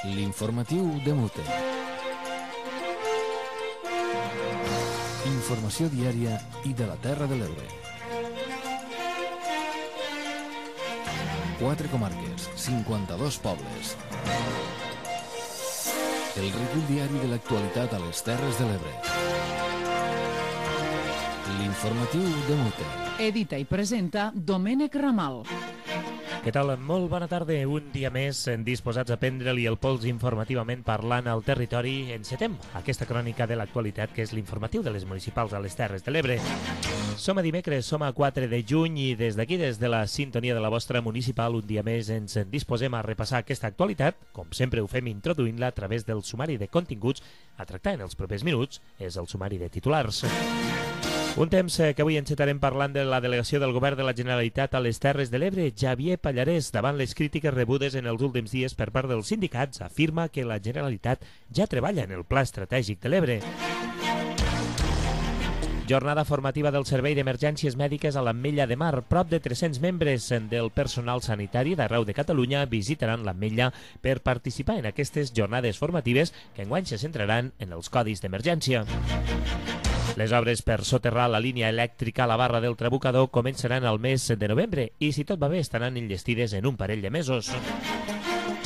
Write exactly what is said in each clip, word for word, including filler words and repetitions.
L'informatiu de Mute. Informació diària i de la Terra de l'Ebre. Quatre comarques, cinquanta-dos pobles. El recull diari de l'actualitat a les Terres de l'Ebre. L'informatiu de Mute. Edita i presenta Domènec Ramal. Què tal? Molt bona tarda. Un dia més disposats a prendre-li el pols informativament parlant al territori. Encetem aquesta crònica de l'actualitat que és l'informatiu de les municipals a les Terres de l'Ebre. Som a dimecres, som a quatre de juny i des d'aquí, des de la sintonia de la vostra municipal, un dia més ens disposem a repassar aquesta actualitat. Com sempre ho fem introduint-la a través del sumari de continguts a tractar en els propers minuts. És el sumari de titulars. Un temps que avui encetarem parlant de la delegació del Govern de la Generalitat a les Terres de l'Ebre. Xavier Pallarès, davant les crítiques rebudes en els últims dies per part dels sindicats, afirma que la Generalitat ja treballa en el Pla Estratègic de l'Ebre. Jornada formativa del Servei d'Emergències Mèdiques a l'Ametlla de Mar. Prop de tres-cents membres del personal sanitari d'arreu de Catalunya visitaran l'Ametlla per participar en aquestes jornades formatives que enguany se centraran en els codis d'emergència. Les obres per soterrar la línia elèctrica a la barra del Trabucador començaran al mes de novembre i, si tot va bé, estaran enllestides en un parell de mesos.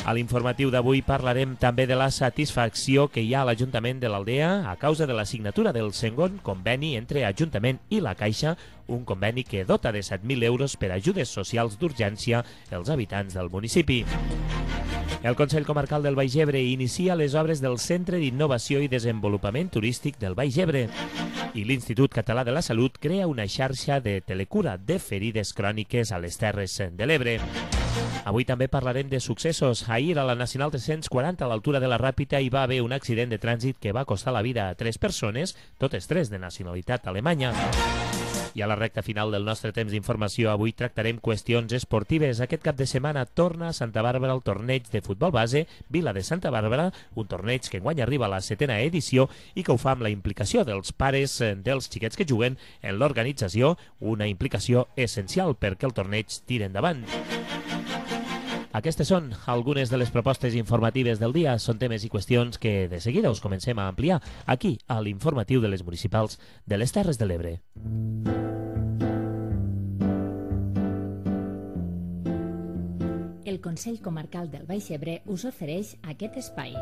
A l'informatiu d'avui parlarem també de la satisfacció que hi ha a l'Ajuntament de l'Aldea a causa de la signatura del segon conveni entre Ajuntament i la Caixa, un conveni que dota de set mil euros per ajudes socials d'urgència als habitants del municipi. El Consell Comarcal del Baix Ebre inicia les obres del Centre d'Innovació i Desenvolupament Turístic del Baix Ebre i l'Institut Català de la Salut crea una xarxa de telecura de ferides cròniques a les Terres de l'Ebre. Avui també parlarem de successos. Ahir a la Nacional tres-cents quaranta a l'altura de la Ràpita hi va haver un accident de trànsit que va costar la vida a tres persones, totes tres de nacionalitat alemanya. I a la recta final del nostre temps d'informació avui tractarem qüestions esportives. Aquest cap de setmana torna a Santa Bàrbara el torneig de futbol base Vila de Santa Bàrbara, un torneig que enguany arriba a la setena edició i que ho fa amb la implicació dels pares dels xiquets que juguen en l'organització, una implicació essencial perquè el torneig tiri endavant. Aquestes són algunes de les propostes informatives del dia. Són temes i qüestions que de seguida us comencem a ampliar aquí a l'informatiu de les municipals de les Terres de l'Ebre. El Consell Comarcal del Baix Ebre us ofereix aquest espai.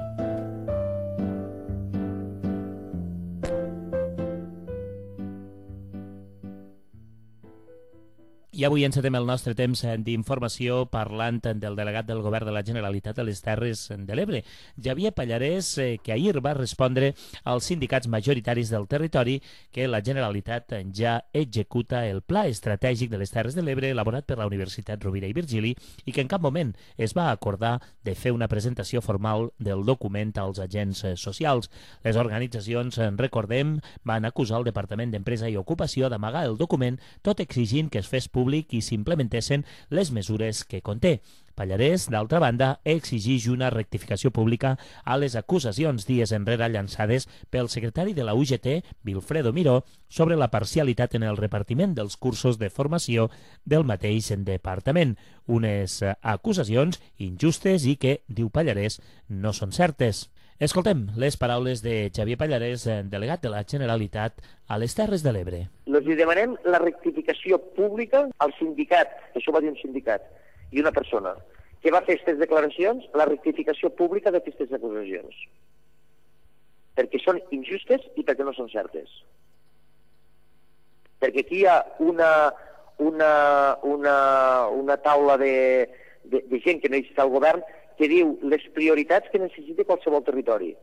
I avui encetem el nostre temps d'informació parlant del delegat del Govern de la Generalitat a les Terres de l'Ebre, Xavier Pallarès, que ahir va respondre als sindicats majoritaris del territori que la Generalitat ja executa el Pla Estratègic de les Terres de l'Ebre elaborat per la Universitat Rovira i Virgili i que en cap moment es va acordar de fer una presentació formal del document als agents socials. Les organitzacions, recordem, van acusar el Departament d'Empresa i Ocupació d'amagar el document, tot exigint que es fes públic i s'implementessin les mesures que conté. Pallarès, d'altra banda, exigeix una rectificació pública a les acusacions dies enrere llançades pel secretari de la U G T, Wilfredo Miró, sobre la parcialitat en el repartiment dels cursos de formació del mateix departament. Unes acusacions injustes i que, diu Pallarès, no són certes. Escoltem les paraules de Xavier Pallarès, delegat de la Generalitat a les Terres de l'Ebre. Li demanem la rectificació pública al sindicat, això va dir un sindicat, i una persona, que va fer aquestes declaracions, la rectificació pública d'aquestes acusacions. Perquè són injustes i perquè no són certes. Perquè aquí hi ha una, una, una, una taula de, de, de gent que no hi està al govern que diu les prioritats que necessita qualsevol territori.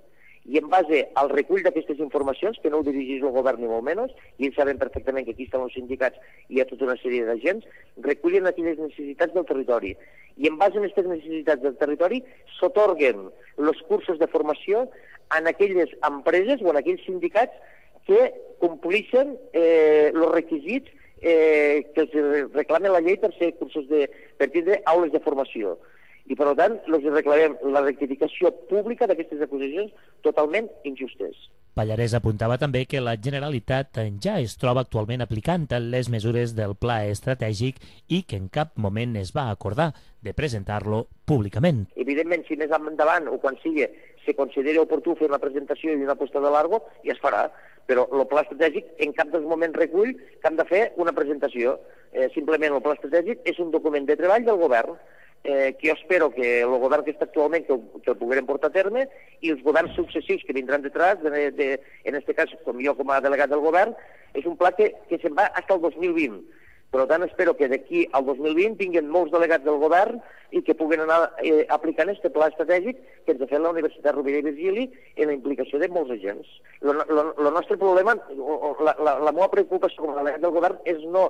I en base al recull d'aquestes informacions, que no ho dirigeix el govern ni molt menys, i ells saben perfectament que aquí estan els sindicats i hi ha tota una sèrie d'agents, recullen aquelles necessitats del territori. I en base a aquestes necessitats del territori s'atorguen els cursos de formació en aquelles empreses o en aquells sindicats que complixen eh, els requisits eh, que els reclama la llei per ser cursos de, per tindre aules de formació. I, per tant, els reclamem la rectificació pública d'aquestes acusacions totalment injustes. Pallarès apuntava també que la Generalitat ja es troba actualment aplicant les mesures del pla estratègic i que en cap moment es va acordar de presentar-lo públicament. Evidentment, si més endavant o quan sigui se consideri oportú fer una presentació i una posta de largo, ja es farà. Però el pla estratègic en cap dels moments recull que han de fer una presentació. Eh, simplement el pla estratègic és un document de treball del govern eh, que jo espero que el govern que està actualment que, que el poguem portar a terme i els governs successius que vindran detrás, de, de, en aquest cas com jo com a delegat del govern, és un pla que, que se'n va fins al dos mil vint. Per tant, espero que d'aquí al dos mil vint tinguin molts delegats del govern i que puguen anar eh, aplicant aquest pla estratègic que ens ha fet la Universitat Rovira i Virgili en la implicació de molts agents. El nostre problema, la, la, la meva preocupació com a delegat del govern és no,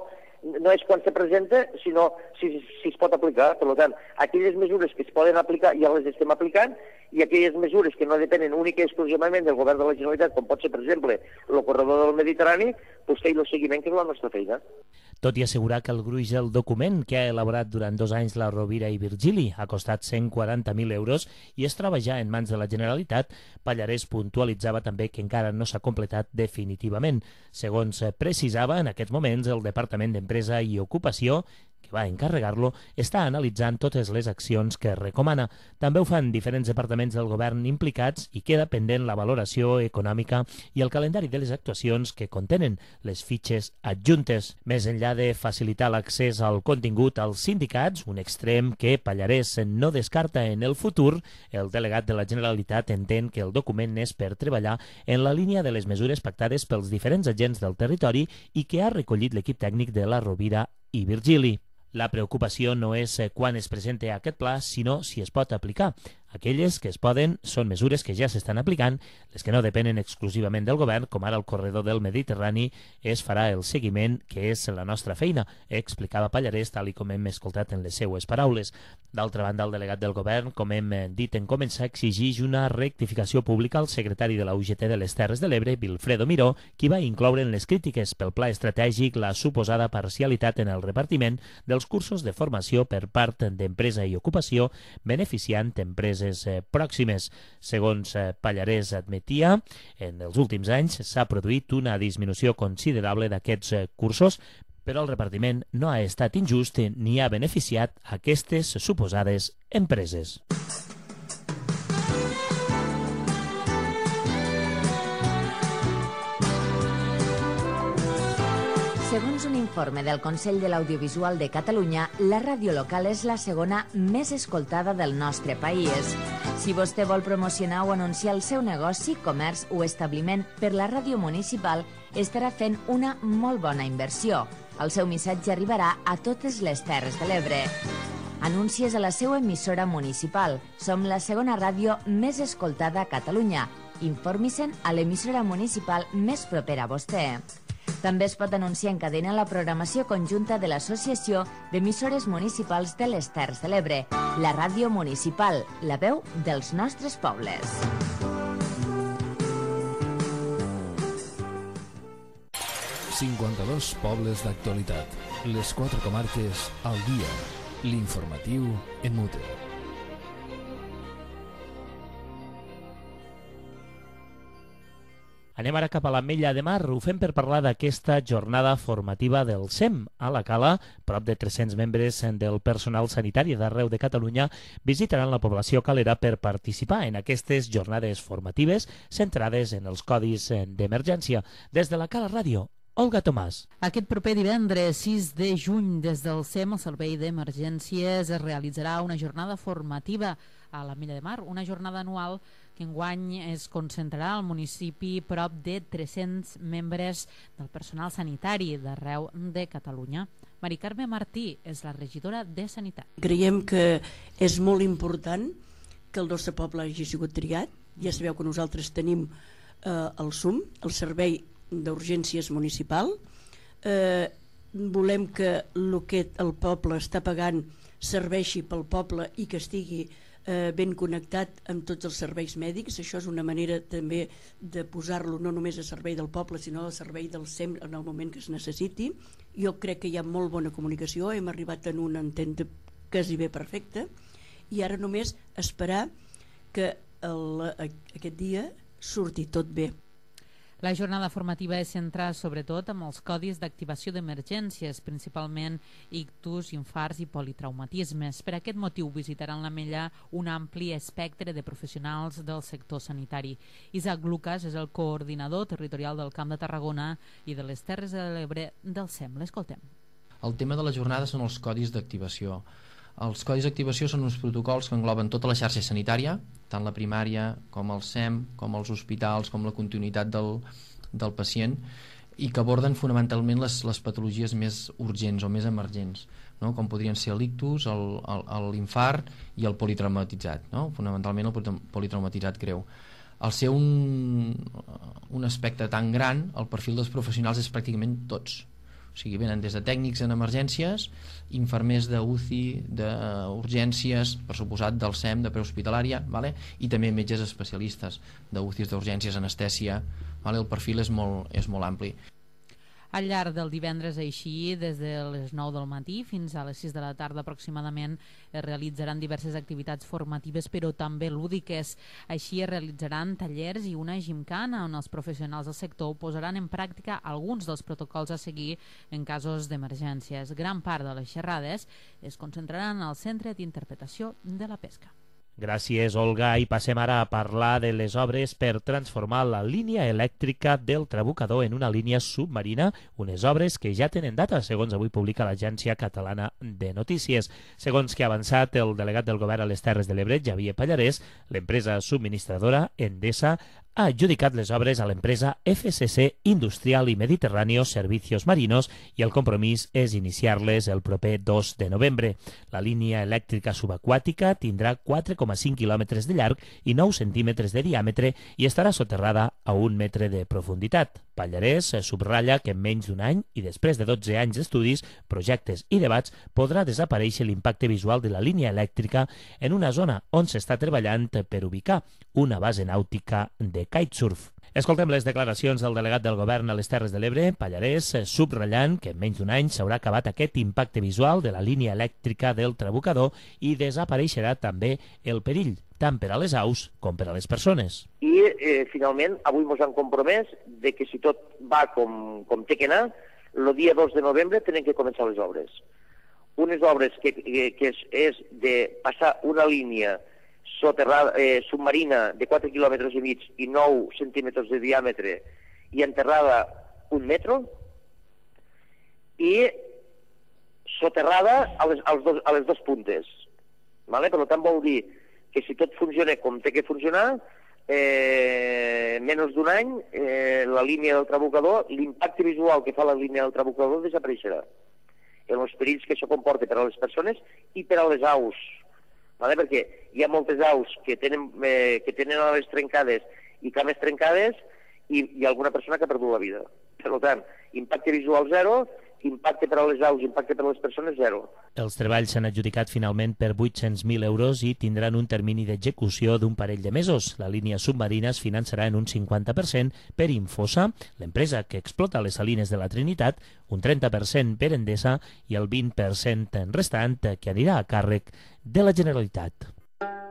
no és quan se presenta, sinó si, si es pot aplicar. Per tant, aquelles mesures que es poden aplicar ja les estem aplicant i aquelles mesures que no depenen únicament i exclusivament del govern de la Generalitat, com pot ser, per exemple, el corredor del Mediterrani, doncs fer-hi el seguiment, que és la nostra feina. Tot i assegurar que el gruix del document que ha elaborat durant dos anys la Rovira i Virgili ha costat cent quaranta mil euros i es troba ja en mans de la Generalitat, Pallarès puntualitzava també que encara no s'ha completat definitivament. Segons precisava, en aquests moments el Departament d'Empresa i Ocupació, que va encarregar-lo, està analitzant totes les accions que recomana. També ho fan diferents departaments del govern implicats i queda pendent la valoració econòmica i el calendari de les actuacions que contenen les fitxes adjuntes. Més enllà de facilitar l'accés al contingut als sindicats, un extrem que Pallarès no descarta en el futur, el delegat de la Generalitat entén que el document és per treballar en la línia de les mesures pactades pels diferents agents del territori i que ha recollit l'equip tècnic de la Rovira i Virgili. La preocupació no és quan es presenta aquest pla, sinó si es pot aplicar. Aquelles que es poden són mesures que ja s'estan aplicant, les que no depenen exclusivament del govern, com ara el corredor del Mediterrani, es farà el seguiment, que és la nostra feina, explicava Pallarès, tal i com hem escoltat en les seues paraules. D'altra banda, el delegat del govern, com hem dit en començar, exigeix una rectificació pública al secretari de la U G T de les Terres de l'Ebre, Vilfredo Miró, qui va incloure en les crítiques pel pla estratègic la suposada parcialitat en el repartiment dels cursos de formació per part d'Empresa i Ocupació, beneficiant empreses pròximes. Segons Pallarès admetia, en els últims anys s'ha produït una disminució considerable d'aquests cursos, però el repartiment no ha estat injust ni ha beneficiat aquestes suposades empreses. Segons un informe del Consell de l'Audiovisual de Catalunya, la ràdio local és la segona més escoltada del nostre país. Si vostè vol promocionar o anunciar el seu negoci, comerç o establiment per la ràdio municipal, estarà fent una molt bona inversió. El seu missatge arribarà a totes les Terres de l'Ebre. Anuncies a la seva emissora municipal. Som la segona ràdio més escoltada a Catalunya. Informi-se'n a l'emissora municipal més propera a vostè. També es pot anunciar en cadena la programació conjunta de l'Associació d'Emissores Municipals de les Terres de l'Ebre, la ràdio municipal, la veu dels nostres pobles. cinquanta-dos pobles d'actualitat. Les quatre comarques al dia. L'informatiu en Mute. Anem ara cap a l'Ametlla de Mar. Ho fem per parlar d'aquesta jornada formativa del S E M. A la Cala, prop de tres-cents membres del personal sanitari d'arreu de Catalunya visitaran la població calera per participar en aquestes jornades formatives centrades en els codis d'emergència. Des de la Cala Ràdio, Olga Tomàs. Aquest proper divendres sis de juny, des del S E M, el Servei d'Emergències, es realitzarà una jornada formativa a l'Ametlla de Mar, una jornada anual que enguany es concentrarà al municipi prop de tres-cents membres del personal sanitari d'arreu de Catalunya. Mari Carme Martí és la regidora de Sanitat. Creiem que és molt important que el nostre poble hagi sigut triat. Ja sabeu que nosaltres tenim eh, el S U M, el Servei d'Urgències Municipal. Eh, volem que el que el poble està pagant serveixi pel poble i que estigui Eh, ben connectat amb tots els serveis mèdics. Això és una manera també de posar-lo no només a servei del poble, sinó al servei del S E M en el moment que es necessiti. Jo crec que hi ha molt bona comunicació, hem arribat en un entente quasi bé perfecte i ara només esperar que el, aquest dia surti tot bé. La jornada formativa és centrada sobretot amb els codis d'activació d'emergències, principalment ictus, infarts i politraumatismes. Per aquest motiu visitaran l'Ametlla un ampli espectre de professionals del sector sanitari. Isaac Lucas és el coordinador territorial del Camp de Tarragona i de les Terres de l'Ebre del S E M. L'escoltem. El tema de la jornada són els codis d'activació. Els codis d'activació són uns protocols que engloben tota la xarxa sanitària, tant la primària com el S E M, com els hospitals, com la continuïtat del, del pacient, i que aborden fonamentalment les, les patologies més urgents o més emergents, no? Com podrien ser l'ictus, l'infart i el politraumatitzat, no? Fonamentalment el politraumatitzat greu. Al ser un, un aspecte tan gran, el perfil dels professionals és pràcticament tots. O sigui, venen des de tècnics en emergències, infermers d'U C I, d'urgències, per suposat del S E M, de prehospitalària, vale? I també metges especialistes d'U C Is, d'urgències, anestèsia, vale? El perfil és molt, és molt ampli. Al llarg del divendres, així, des de les nou del matí fins a les sis de la tarda aproximadament, es realitzaran diverses activitats formatives, però també lúdiques. Així es realitzaran tallers i una gimcana on els professionals del sector posaran en pràctica alguns dels protocols a seguir en casos d'emergències. Gran part de les xerrades es concentraran al Centre d'Interpretació de la Pesca. Gràcies, Olga. I passem ara a parlar de les obres per transformar la línia elèctrica del Trabucador en una línia submarina, unes obres que ja tenen data, segons avui publica l'Agència Catalana de Notícies. Segons que ha avançat el delegat del Govern a les Terres de l'Ebre, Xavier Pallarès, l'empresa subministradora Endesa ha adjudicat les obres a l'empresa F C C Industrial i Mediterráneo Servicios Marinos i el compromís és iniciar-les el proper dos de novembre. La línia elèctrica subaquàtica tindrà quatre coma cinc quilòmetres de llarg i nou centímetres de diàmetre i estarà soterrada a un metre de profunditat. Pallarès subratlla que en menys d'un any i després de dotze anys d'estudis, projectes i debats podrà desaparèixer l'impacte visual de la línia elèctrica en una zona on s'està treballant per ubicar una base nàutica de kitesurf. Escoltem les declaracions del delegat del Govern a les Terres de l'Ebre, Pallarès, subratllant que en menys d'un any s'haurà acabat aquest impacte visual de la línia elèctrica del Trabucador i desapareixerà també el perill, tant per a les aus com per a les persones. I eh, finalment avui ens han compromès de que si tot va com, com té que anar, el dia dos de novembre tenen que començar les obres. Unes obres que, que, que és, és de passar una línia soterrada, eh, submarina de quatre quilòmetres i mig i nou centímetres de diàmetre i enterrada un metro i soterrada a les, als dos, a les dos puntes. Vale? Per tant, vol dir que si tot funciona com té que funcionar, eh, menys d'un any, eh, la línia del Trabucador, l'impacte visual que fa la línia del Trabucador desapareixerà. En els perills que això comporta per a les persones i per a les aus. Vale? Perquè hi ha moltes aus que tenen, eh, que tenen ales trencades i cames trencades i hi ha alguna persona que ha perdut la vida. Per tant, impacte visual zero, impacte per a les aus, impacte per a les persones zero. Els treballs s'han adjudicat finalment per vuit-cents mil euros i tindran un termini d'execució d'un parell de mesos. La línia submarina es finançarà en un cinquanta per cent per Infosa, l'empresa que explota les salines de la Trinitat, un trenta per cent per Endesa i el vint per cent restant que anirà a càrrec de la Generalitat.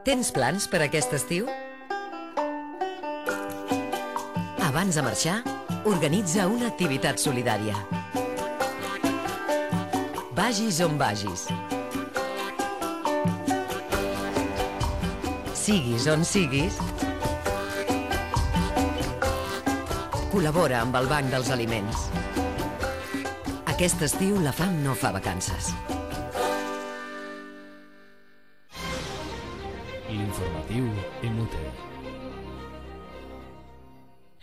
Tens plans per aquest estiu? Abans de marxar, organitza una activitat solidària. Vagis on vagis. Siguis on siguis, col·labora amb el Banc dels Aliments. Aquest estiu la fam no fa vacances. L'informatiu Inútil.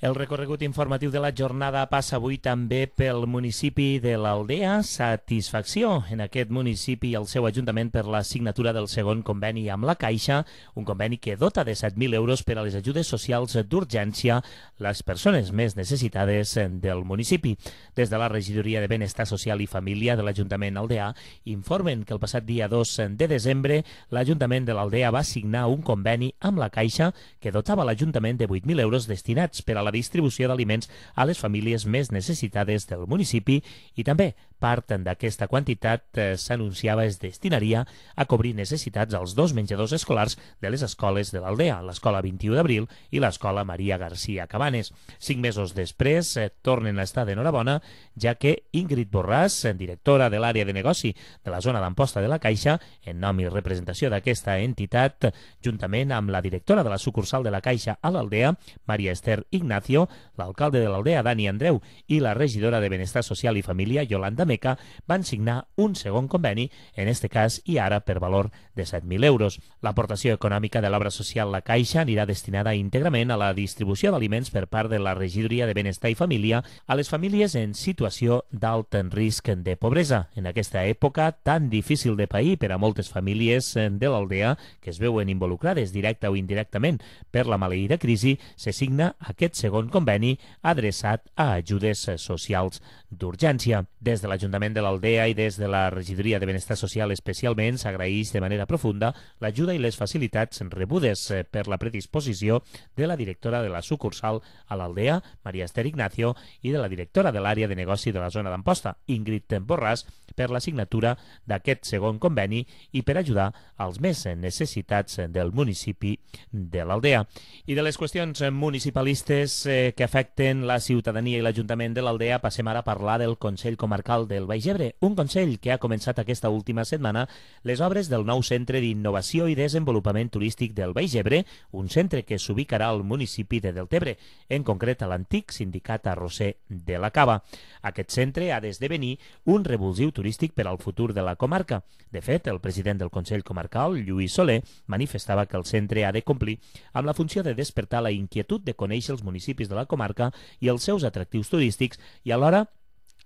El recorregut informatiu de la jornada passa avui també pel municipi de l'Aldea. Satisfacció en aquest municipi i el seu ajuntament per la signatura del segon conveni amb la Caixa, un conveni que dota de set mil euros per a les ajudes socials d'urgència les persones més necessitades del municipi. Des de la Regidoria de Benestar Social i Família de l'Ajuntament aldeà informen que el passat dia dos de desembre l'Ajuntament de l'Aldea va signar un conveni amb la Caixa que dotava l'Ajuntament de vuit mil euros destinats per a la la distribució d'aliments a les famílies més necessitades del municipi i també part d'aquesta quantitat eh, s'anunciava es destinaria a cobrir necessitats als dos menjadors escolars de les escoles de l'Aldea, l'Escola vint-i-u d'Abril i l'Escola Maria García Cabanes. Cinc mesos després eh, tornen a estar d'enhorabona, ja que Ingrid Borràs, directora de l'àrea de negoci de la zona d'Amposta de la Caixa, en nom i representació d'aquesta entitat, juntament amb la directora de la sucursal de la Caixa a l'Aldea, Maria Esther Ignacio, l'alcalde de l'Aldea, Dani Andreu, i la regidora de Benestar Social i Família, Yolanda Meca, van signar un segon conveni, en este cas i ara per valor de set mil euros. L'aportació econòmica de l'obra social La Caixa anirà destinada íntegrament a la distribució d'aliments per part de la regidoria de Benestar i Família a les famílies en situació d'alt risc de pobresa. En aquesta època tan difícil de pair per a moltes famílies de l'Aldea que es veuen involucrades directa o indirectament per la maleïda crisi, se signa aquest segon conveni adreçat a ajudes socials d'urgència. Des de l'Ajuntament de l'Aldea i des de la Regidoria de Benestar Social especialment s'agraeix de manera profunda l'ajuda i les facilitats rebudes per la predisposició de la directora de la sucursal a l'Aldea, Maria Esther Ignacio, i de la directora de l'àrea de negoci de la zona d'Amposta, Ingrid Borràs, per la signatura d'aquest segon conveni i per ajudar als més necessitats del municipi de l'Aldea. I de les qüestions municipalistes eh, que afecten la ciutadania i l'Ajuntament de l'Aldea passem ara a parlar del Consell Comarcal del Baix Ebre, un consell que ha començat aquesta última setmana les obres del nou Centre d'Innovació i Desenvolupament Turístic del Baix Ebre, un centre que s'ubicarà al municipi de Deltebre, en concret a l'antic sindicat arrosser de la Cava. Aquest centre ha d'esdevenir un revulsiu turístic per al futur de la comarca. De fet, el president del Consell Comarcal, Lluís Soler, manifestava que el centre ha de complir amb la funció de despertar la inquietud de conèixer els municipis de la comarca i els seus atractius turístics i alhora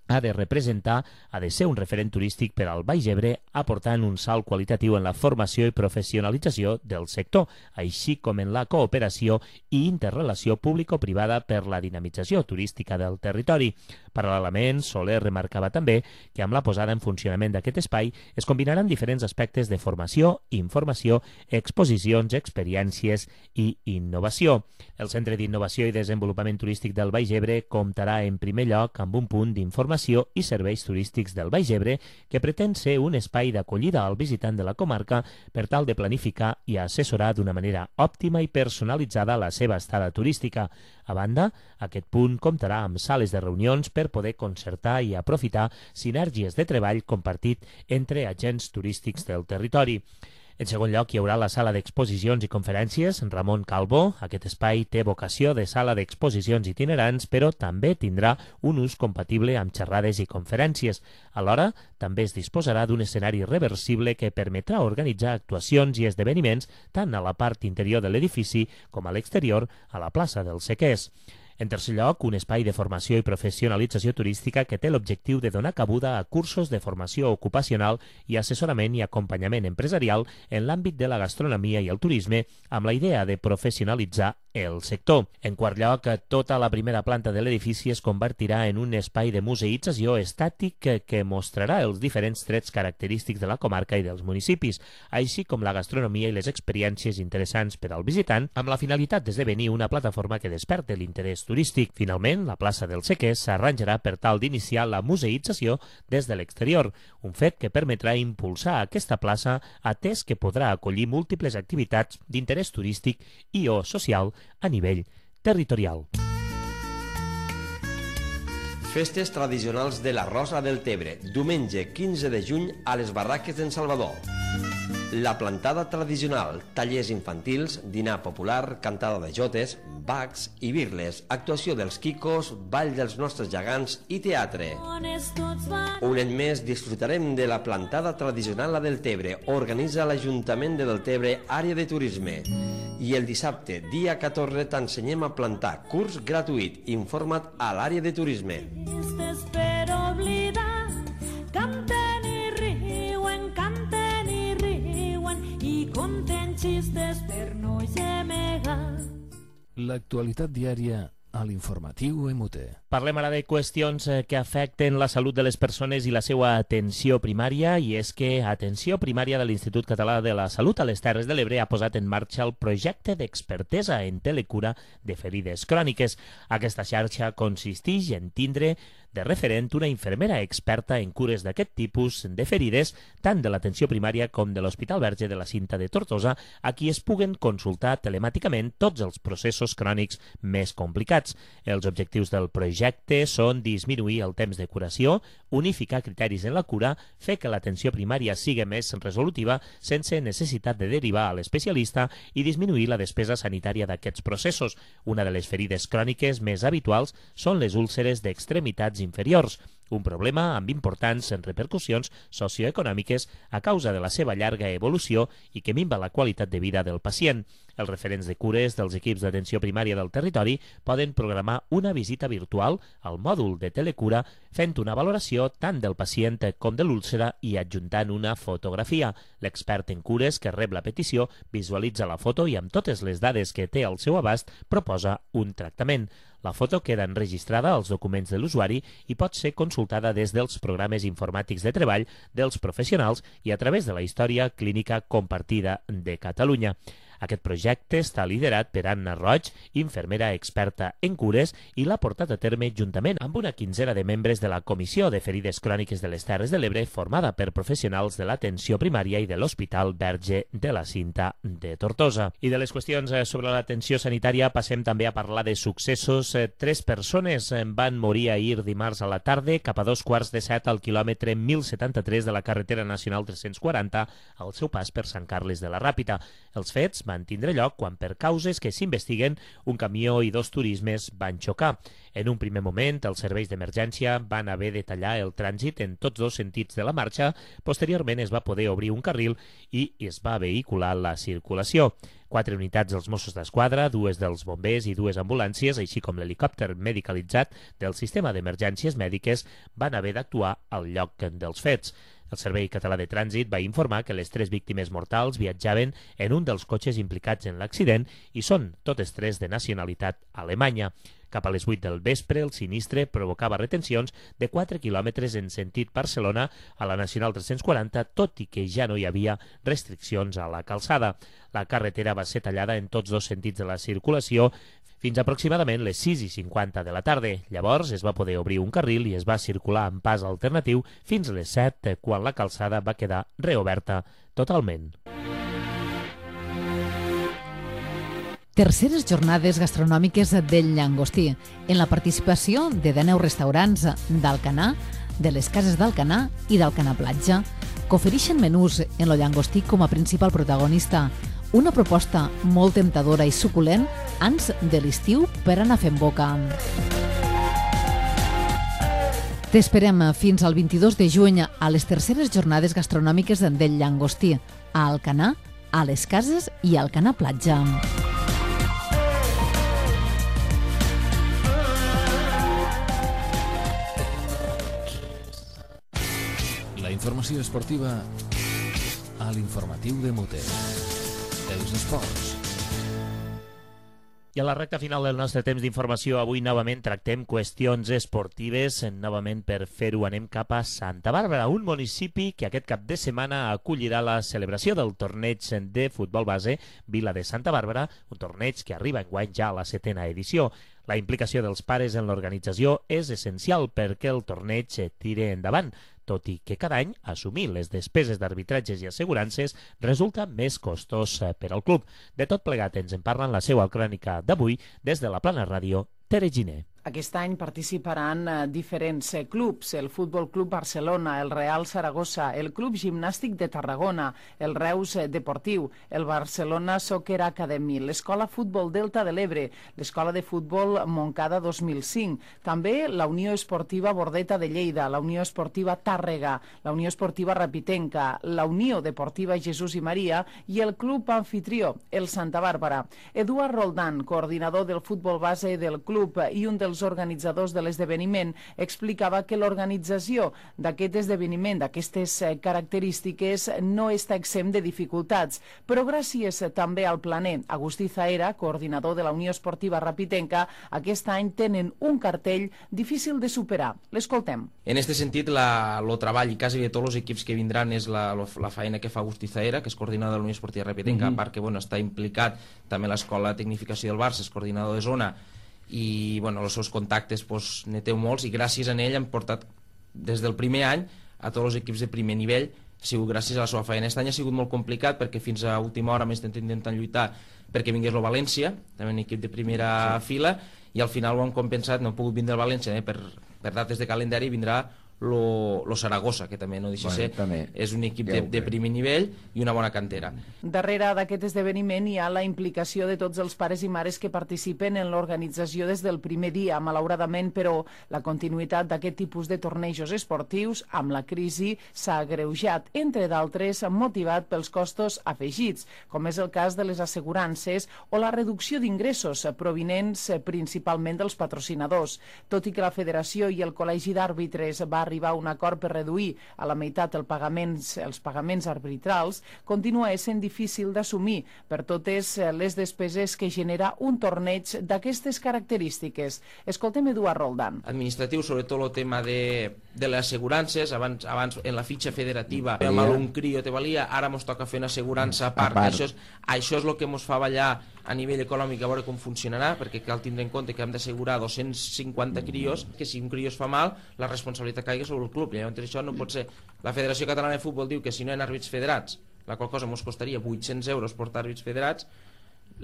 ha de representar, ha de ser un referent turístic per al Baix Ebre, aportant un salt qualitatiu en la formació i professionalització del sector, així com en la cooperació i interrelació público-privada per la dinamització turística del territori. Paral·lelament, Soler remarcava també que amb la posada en funcionament d'aquest espai es combinaran diferents aspectes de formació, informació, exposicions, experiències i innovació. El Centre d'Innovació i Desenvolupament Turístic del Baix Ebre comptarà en primer lloc amb un punt d'informació i serveis turístics del Baix Ebre que pretén ser un espai d'acollida al visitant de la comarca per tal de planificar i assessorar d'una manera òptima i personalitzada la seva estada turística. A banda, aquest punt comptarà amb sales de reunions per poder concertar i aprofitar sinergies de treball compartit entre agents turístics del territori. En segon lloc, hi haurà la sala d'exposicions i conferències Ramon Calvo. Aquest espai té vocació de sala d'exposicions itinerants, però també tindrà un ús compatible amb xerrades i conferències. Alhora, també es disposarà d'un escenari reversible que permetrà organitzar actuacions i esdeveniments tant a la part interior de l'edifici com a l'exterior, a la plaça dels Sequers. En tercer lloc, un espai de formació i professionalització turística que té l'objectiu de donar cabuda a cursos de formació ocupacional i assessorament i acompanyament empresarial en l'àmbit de la gastronomia i el turisme, amb la idea de professionalitzar el sector. En quart lloc, tota la primera planta de l'edifici es convertirà en un espai de museïtzació estàtic que, que mostrarà els diferents trets característics de la comarca i dels municipis, així com la gastronomia i les experiències interessants per al visitant, amb la finalitat d'esdevenir una plataforma que desperte l'interès turístic. Finalment, la plaça dels Sequers s'arranjarà per tal d'iniciar la museïtzació des de l'exterior, un fet que permetrà impulsar aquesta plaça atès que podrà acollir múltiples activitats d'interès turístic i o social a nivell territorial. Festes tradicionals de la Rosa del Tebre, diumenge quinze de juny a les Barraques d'en Salvador. La plantada tradicional, tallers infantils, dinar popular, cantada de jotes, bacs i birles, actuació dels quicos, ball dels nostres gegants i teatre. Un any més disfrutarem de la plantada tradicional a Deltebre. Organitza l'Ajuntament de Deltebre, àrea de turisme. I el dissabte, dia catorze, t'ensenyem a plantar. Curs gratuït. Informa't a l'àrea de turisme. Per oblidar, canten i riuen, canten i riuen i conten xistes per no gemegar. L'actualitat diària a l'informatiu M T. Parlem ara de qüestions que afecten la salut de les persones i la seva atenció primària, i és que Atenció Primària de l'Institut Català de la Salut a les Terres de l'Ebre ha posat en marxa el projecte d'expertesa en telecura de ferides cròniques. Aquesta xarxa consisteix en tindre de referent una infermera experta en cures d'aquest tipus de ferides, tant de l'atenció primària com de l'Hospital Verge de la Cinta de Tortosa, a qui es puguen consultar telemàticament tots els processos crònics més complicats. Els objectius del projecte són disminuir el temps de curació, unificar criteris en la cura, fer que l'atenció primària sigui més resolutiva sense necessitat de derivar a l'especialista i disminuir la despesa sanitària d'aquests processos. Una de les ferides cròniques més habituals són les úlceres d'extremitats inferiors, un problema amb importants repercussions socioeconòmiques a causa de la seva llarga evolució i que minva la qualitat de vida del pacient. Els referents de cures dels equips d'atenció primària del territori poden programar una visita virtual al mòdul de telecura fent una valoració tant del pacient com de l'úlcera i adjuntant una fotografia. L'expert en cures que rep la petició visualitza la foto i amb totes les dades que té al seu abast proposa un tractament. La foto queda enregistrada als documents de l'usuari i pot ser consultada des dels programes informàtics de treball dels professionals i a través de la història clínica compartida de Catalunya. Aquest projecte està liderat per Anna Roig, infermera experta en cures, i l'ha portat a terme juntament amb una quinzena de membres de la Comissió de Ferides Cròniques de les Terres de l'Ebre, formada per professionals de l'atenció primària i de l'Hospital Verge de la Cinta de Tortosa. I de les qüestions sobre l'atenció sanitària passem també a parlar de successos. Tres persones van morir ahir dimarts a la tarda cap a dos quarts de set al quilòmetre mil setanta-tres de la carretera nacional tres-cents quaranta al seu pas per Sant Carles de la Ràpita. Els fets van tindre lloc quan, per causes que s'investiguen, un camió i dos turismes van xocar. En un primer moment, els serveis d'emergència van haver de tallar el trànsit en tots dos sentits de la marxa. Posteriorment es va poder obrir un carril i es va vehicular la circulació. Quatre unitats dels Mossos d'Esquadra, dues dels bombers i dues ambulàncies, així com l'helicòpter medicalitzat del sistema d'emergències mèdiques, van haver d'actuar al lloc dels fets. El Servei Català de Trànsit va informar que les tres víctimes mortals viatjaven en un dels cotxes implicats en l'accident i són totes tres de nacionalitat alemanya. Cap a les vuit del vespre, el sinistre provocava retencions de quatre quilòmetres en sentit Barcelona a la Nacional tres-cents quaranta, tot i que ja no hi havia restriccions a la calçada. La carretera va ser tallada en tots dos sentits de la circulació fins aproximadament les sis i cinquanta de la tarda. Llavors es va poder obrir un carril i es va circular en pas alternatiu fins a les set, quan la calçada va quedar reoberta totalment. Terceres jornades gastronòmiques del Llangostí, en la participació de dènou restaurants d'Alcanar, de les cases d'Alcanar i d'Alcanar Platja, que ofereixen menús en el llangostí com a principal protagonista. Una proposta molt temptadora i suculent ans de l'estiu per anar fent boca. T'esperem fins al vint-i-dos de juny a les terceres jornades gastronòmiques del Llangostí, a Alcanar, a les cases i a Alcanar Platja. La informació esportiva a l'informatiu de Mote. Els esports. I a la recta final del nostre temps d'informació, avui novament tractem qüestions esportives. Novament, per fer-ho, anem cap a Santa Bàrbara, un municipi que aquest cap de setmana acollirà la celebració del torneig de futbol base Vila de Santa Bàrbara, un torneig que arriba enguany ja a la setena edició. La implicació dels pares en l'organització és essencial perquè el torneig tiri endavant, tot i que cada any assumir les despeses d'arbitratges i assegurances resulta més costós per al club. De tot plegat ens en parla en la seva crònica d'avui des de la Plana Ràdio, Tere Giner. Aquest any participaran diferents clubs, el Futbol Club Barcelona, el Real Saragossa, el Club Gimnàstic de Tarragona, el Reus Deportiu, el Barcelona Soccer Academy, l'Escola Futbol Delta de l'Ebre, l'Escola de Futbol Montcada dos mil cinc, també la Unió Esportiva Bordeta de Lleida, la Unió Esportiva Tàrrega, la Unió Esportiva Rapitenca, la Unió Deportiva Jesús i Maria i el Club Anfitrió, el Santa Bàrbara. Eduard Roldán, coordinador del futbol base del club i un dels dels organitzadors de l'esdeveniment, explicava que l'organització d'aquest esdeveniment, d'aquestes característiques, no està exempt de dificultats, però gràcies també al planer Agustí Zaera, coordinador de la Unió Esportiva Rapitenca, aquest any tenen un cartell difícil de superar. L'escoltem. En aquest sentit, la, el treball i quasi de tots els equips que vindran és la, la feina que fa Agustí Zaera, que és coordinador de la Unió Esportiva Rapitenca, mm-hmm. a part que bueno, està implicat també l'Escola de Tecnificació del Barça, és coordinador de zona, i bueno, els seus contactes pues, ne té molts, i gràcies a ell han portat des del primer any a tots els equips de primer nivell. Ha sigut gràcies a la seva feina. Aquest any ha sigut molt complicat perquè fins a última hora m'he estat intentant lluitar perquè vingués el València, també un equip de primera sí. fila, i al final ho han compensat, no ha pogut vindre el València, eh? per, per dates de calendari vindrà lo, lo Saragossa, que també no deixa bueno, ser, també. És un equip de, de primer nivell i una bona cantera. Darrere d'aquest esdeveniment hi ha la implicació de tots els pares i mares que participen en l'organització des del primer dia. Malauradament, però, la continuïtat d'aquest tipus de tornejos esportius amb la crisi s'ha agreujat, entre d'altres motivat pels costos afegits, com és el cas de les assegurances o la reducció d'ingressos provinents principalment dels patrocinadors. Tot i que la Federació i el Col·legi d'Àrbitres va arribar a un acord per reduir a la meitat el pagaments, els pagaments arbitrals, continua sent difícil d'assumir per totes les despeses que genera un torneig d'aquestes característiques. Escoltem Eduard Roldan. Administratiu, sobretot el tema de, de les assegurances, abans, abans en la fitxa federativa amb un crio te valia, ara ens toca fer una assegurança a part. A part. Això, és, això és el que ens fa ballar a nivell econòmic a veure com funcionarà, perquè cal tindre en compte que hem d'assegurar dos-cents cinquanta crios, que si un crió es fa mal, la responsabilitat caigui sobre el club. Llavors això no pot ser. La Federació Catalana de Futbol diu que si no hi ha àrbits federats, la qual cosa ens costaria vuit-cents euros portar àrbits federats,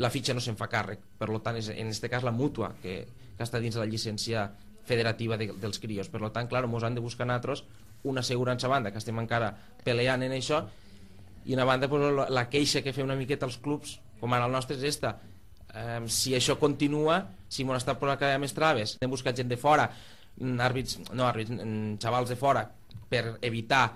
la fitxa no se'n fa càrrec. Per tant, és en aquest cas la mútua, que, que està dins de la llicència federativa de, dels crios. Per tant, clar, ens han de buscar nosaltres una assegurança a banda, que estem encara peleant en això, i una banda pues, la, la queixa que fem una miqueta als clubs, com ara el nostre, és esta. Um, si això continua, si m'ho està posant cada més traves, hem buscat gent de fora, àrbits, no àrbits, xavals de fora, per evitar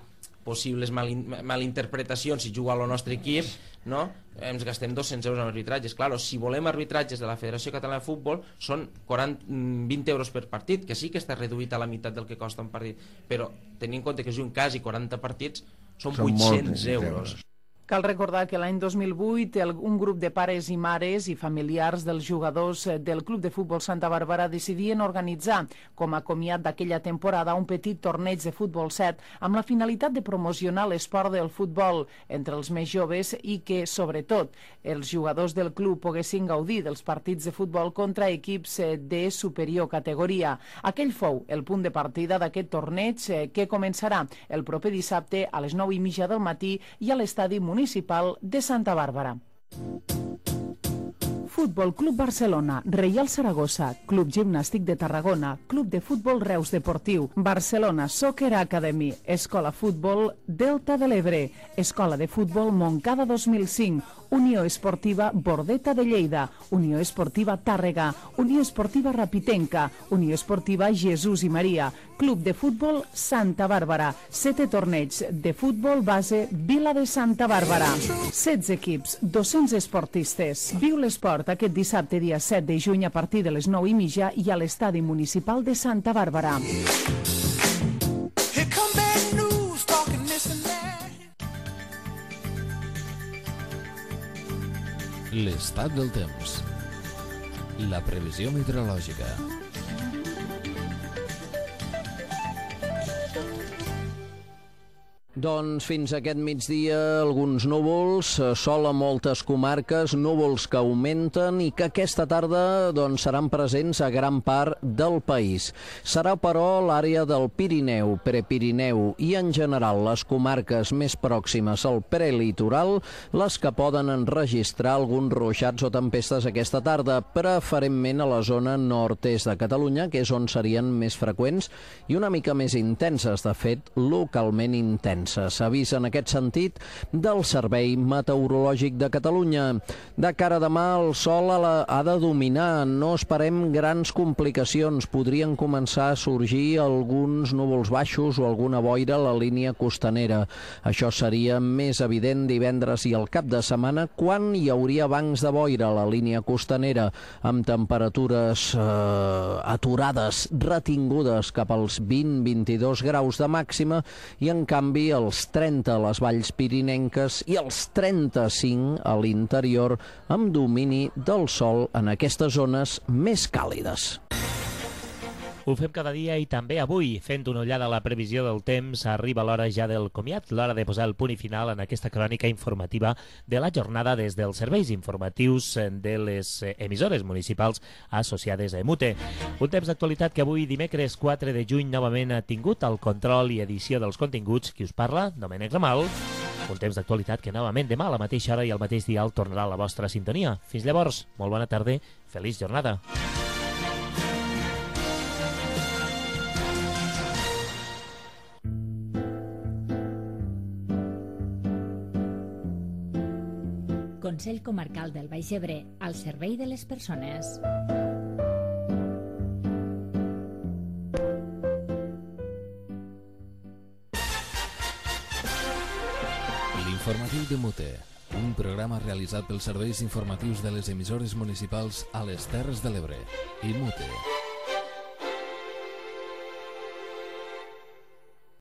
possibles malin, malinterpretacions si juga al nostre equip, no? Ens gastem dos-cents euros en arbitratges. Claro, si volem arbitratges de la Federació Catalana de Futbol són quaranta, vint euros per partit, que sí que està reduït a la meitat del que costa un partit, però tenint en compte que juguen quasi quaranta partits, són, són vuit-cents euros. Cal recordar que l'any dos mil vuit el, un grup de pares i mares i familiars dels jugadors del Club de Futbol Santa Bàrbara decidien organitzar com a comiat d'aquella temporada un petit torneig de futbol set amb la finalitat de promocionar l'esport del futbol entre els més joves i que, sobretot, els jugadors del club poguessin gaudir dels partits de futbol contra equips de superior categoria. Aquell fou el punt de partida d'aquest torneig que començarà el proper dissabte a les nou i mitja del matí i a l'estadi municipal municipal de Santa Bàrbara. Futbol Club Barcelona, Reial Saragossa, Club Gimnàstic de Tarragona, Club de Futbol Reus Deportiu, Barcelona Soccer Academy, Escola Futbol Delta de l'Ebre, Escola de Futbol Montcada dos mil cinc, Unió Esportiva Bordeta de Lleida, Unió Esportiva Tàrrega, Unió Esportiva Rapitenca, Unió Esportiva Jesús i Maria, Club de Futbol Santa Bàrbara, setè torneig de futbol base Vila de Santa Bàrbara. setze equips, dos-cents esportistes. Viu l'esport aquest dissabte dia set de juny a partir de les nou i mitja i a l'estadi municipal de Santa Bàrbara. L'estat del temps. La previsió meteorològica. Doncs fins aquest migdia alguns núvols, sol a moltes comarques, núvols que augmenten i que aquesta tarda doncs, seran presents a gran part del país. Serà, però, l'àrea del Pirineu, Prepirineu i, en general, les comarques més pròximes al prelitoral, les que poden enregistrar alguns ruixats o tempestes aquesta tarda, preferentment a la zona nord-est de Catalunya, que és on serien més freqüents i una mica més intenses, de fet, localment intenses. mancances. Avís en aquest sentit del Servei Meteorològic de Catalunya. De cara a demà, el sol ha de dominar. No esperem grans complicacions. Podrien començar a sorgir alguns núvols baixos o alguna boira a la línia costanera. Això seria més evident divendres i el cap de setmana, quan hi hauria bancs de boira a la línia costanera, amb temperatures eh, aturades, retingudes cap als vint a vint-i-dos graus de màxima, i en canvi els trenta a les valls pirinenques i els trenta-cinc a l'interior, amb domini del sol en aquestes zones més càlides. Ho fem cada dia i també avui, fent una ullada a la previsió del temps. Arriba l'hora ja del comiat, l'hora de posar el punt i final en aquesta crònica informativa de la jornada des dels serveis informatius de les emissores municipals associades a EMUTE. Un temps d'actualitat que avui, dimecres quatre de juny, novament ha tingut el control i edició dels continguts. Qui us parla? Domènec Ramal. Un temps d'actualitat que novament demà a la mateixa hora i al mateix dial tornarà a la vostra sintonia. Fins llavors, molt bona tarda, feliç jornada. Consell Comarcal del Baix Ebre, al servei de les persones. L'informatiu de Mute, un programa realitzat pels serveis informatius de les emissores municipals a les Terres de l'Ebre i Mute.